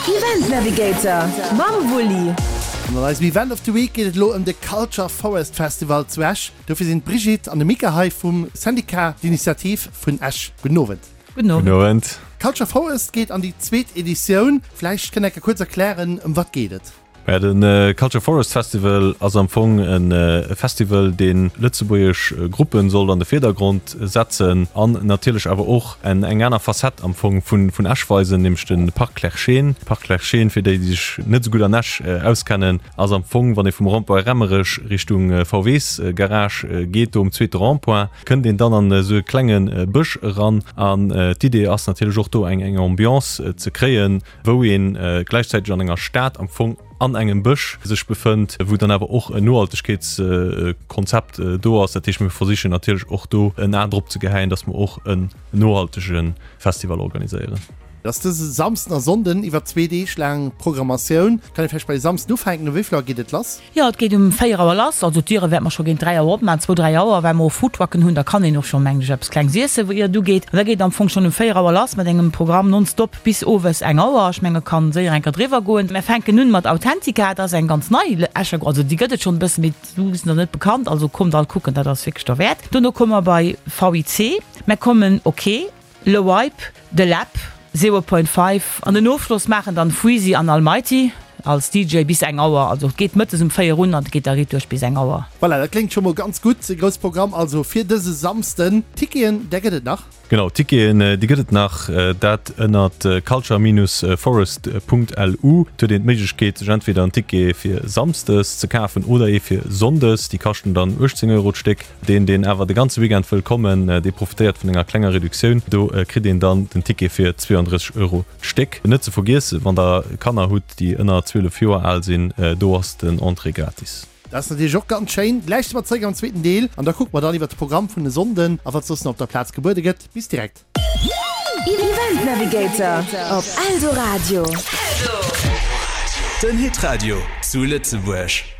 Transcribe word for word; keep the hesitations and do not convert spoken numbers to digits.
Event Navigator mam Wulli. An an eisem Event of the Week geet et elo ëm de Culture Forest Festival zu Esch. Dofir sinn d'Brigitte an de Mika hei vum Syndicat d'Initiative vun Esch. Gudden Owend. Gudden Owend. Gudden Owend. Culture Forest geet an déi zweet Editioun. Vläicht kënnt Dir kuerz erklären, ëm wat geet et? Ja, den Culture Forest Festival ass am Fong e Festival, dee lëtzebuergesch Gruppen soll an de Virdergrond setzen an natierlech awer och eng aner Facette am Fong vun vun Esch weisen, nämlech de Parc Clerscheen. Parc Clerscheen, fir déi, déi sech net esou gutt an Esch auskennen, ass am Fong, wann ee vum Rond-point Remmerech Richtung VWs-Garage geet, do um zweete Rond-point, kënnt een dann an esou e klenge Bësch eran. An d'Idee ass natierlech och do eng eng Ambiance ze kréien, wou ee gläichzäiteg an enger Stad am Fong an engem Bësch sech befënnt, wou dann awer och en Nohaltegkeetskonzept do ass. Dat heescht, mir versichen natierlech och do en A drop ze gehäien, dass mer och en nohaltege Festival organiséieren. Et ass dëse Samsden a Sonnden iwwer zwee Deeg laang Programmatioun. Kann ee vläicht bei Samsden ufänken? Um wéi vill Auer geet et lass? Jo, et geet um véier Auer lass. Also d'Diere wäerte mer scho géint dräi Auer opmaachen, zwou, dräi Auer, well mer och Foodtrucken hunn. Da kann een och scho, mengen ech, eppes Klengs iessen, ier et ugeet. An da geet et am Fong schonn um véier Auer lass mat engem Programm nonstop bis owes eng Auer. Ech menge kann séier eng Kéier driwwer goen. Mer fänken un mat Authentica. Dat ass eng ganz nei Escher, also déi gëtt et schonn e bëssen, mee du sinn der net bekannt. Also kommt all kucken, dat ass wierklech derwäert. Dono komme mer bei VIC. Mer kommen Ok, Le Wipe, The Lab, Zero Point Five an den Ofschloss maachen dann Freezy an Almighty als DJ bis eng Auer. Also et geet mëttes um véier un an et geet da riit duerch bis eng Auer. Voilà, dat kléngt scho mol ganz gutt. E grousse Programm also fir dëse Samsden. Ticketen, där gëtt et nach? Genau, Ticketen, déi gëtt et nach. Dat ënnert culture-forest punkt lu. Et huet een d'Méiglechkeet sech entweder en Ticket fir Samsdes ze kafen oder ee fir Sonndes. Déi kaschten dann uechtzéng Euro d'Stéck. Deen, deen awer de ganze Weekend wëll kommen, dee profitéiert vun enger klenger Reduktioun. Do kritt een dann den Ticket fir zweeandrësseg Euro d'Stéck. Net ze vergiessen, wann der Kanner hutt, déi ënner zwielef Joer al sinn, do ass den Entrée gratis. Dat ass natierlech och ganz schéin. Gläich si mer zeréck am zweeten Deel an da kucke mer dann iwwert de Programm vun e Sonnden a wat soss nach op der Plaz gebuede gëtt. Bis direkt. Event Navigator op Eldoradio. Den Hitradio zu Lëtzebuerg.